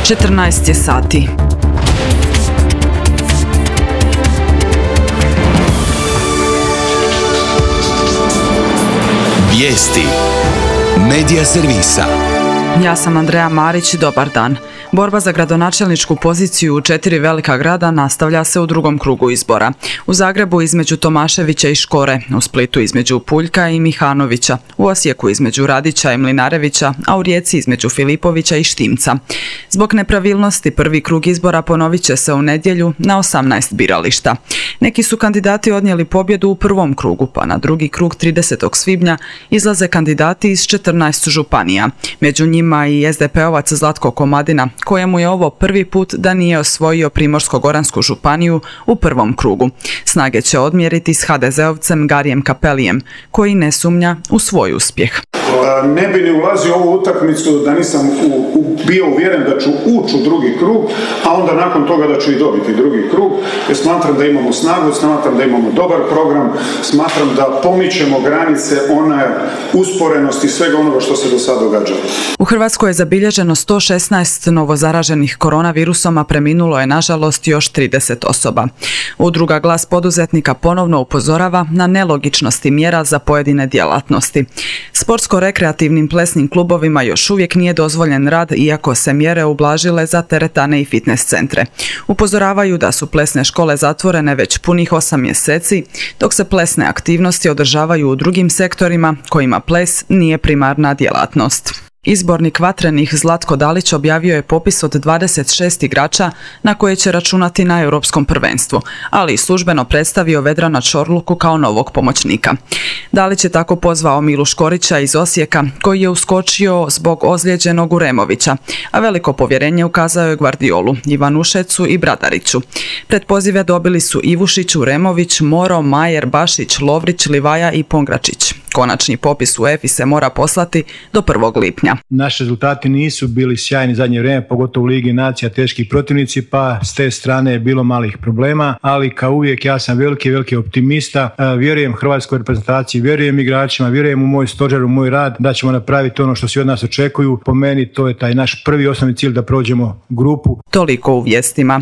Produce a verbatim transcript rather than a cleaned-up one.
četrnaest je sati. Vijesti Medija servisa. Ja sam Andreja Marić, dobar dan. Borba za gradonačelničku poziciju u četiri velika grada nastavlja se u drugom krugu izbora. U Zagrebu između Tomaševića i Škore, u Splitu između Puljka i Mihanovića, u Osijeku između Radića i Mlinarevića, a u Rijeci između Filipovića i Štimca. Zbog nepravilnosti prvi krug izbora ponovit će se u nedjelju na osamnaest birališta. Neki su kandidati odnijeli pobjedu u prvom krugu, pa na drugi krug tridesetog svibnja izlaze kandidati iz četrnaest županija. Među njima i es de pe ovac Zlatko Komadina, kojemu je ovo prvi put da nije osvojio Primorsko-goransku županiju u prvom krugu. Snage će odmjeriti s ha de ze ovcem Garijem Cappellijem, koji ne sumnja u svoj uspjeh. Ne bi ni ulazio u ovu utakmicu da nisam u, u, bio uvjeren da ću ući u drugi krug, a onda nakon toga da ću i dobiti drugi krug, jer smatram da imamo snagu, smatram da imamo dobar program, smatram da pomičemo granice one usporenosti svega onoga što se do sada događalo. U Hrvatskoj je zabilježeno sto šesnaest novozaraženih koronavirusom, a preminulo je nažalost još trideset osoba. Udruga Glas poduzetnika ponovno upozorava na nelogičnosti mjera za pojedine djelatnosti. Sportsko-rekreativnim plesnim klubovima još uvijek nije dozvoljen rad, iako se mjere ublažile za teretane i fitness centre. Upozoravaju da su plesne škole zatvorene već punih osam mjeseci, dok se plesne aktivnosti održavaju u drugim sektorima kojima ples nije primarna djelatnost. Izbornik Vatrenih Zlatko Dalić objavio je popis od dvadeset šest igrača na koje će računati na europskom prvenstvu, ali i službeno predstavio Vedrana Čorluku kao novog pomoćnika. Dalić je tako pozvao Milu Škorića iz Osijeka, koji je uskočio zbog ozlijeđenog Uremovića, a veliko povjerenje ukazao je Gvardiolu, Ivanušecu i Bradariću. Pred pozive dobili su Ivušić, Uremović, Moro, Majer, Bašić, Lovrić, Livaja i Pongračić. Konačni popis u EFI se mora poslati do prvog lipnja. Naši rezultati nisu bili sjajni zadnje vrijeme, pogotovo u Ligi nacija, teški protivnici, pa s te strane je bilo malih problema, ali kao uvijek ja sam veliki, veliki optimista, vjerujem hrvatskoj reprezentaciji, vjerujem igračima, vjerujem u moj stožer, u moj rad, da ćemo napraviti ono što svi od nas očekuju. Po meni to je taj naš prvi osnovni cilj, da prođemo grupu. Toliko u vijestima.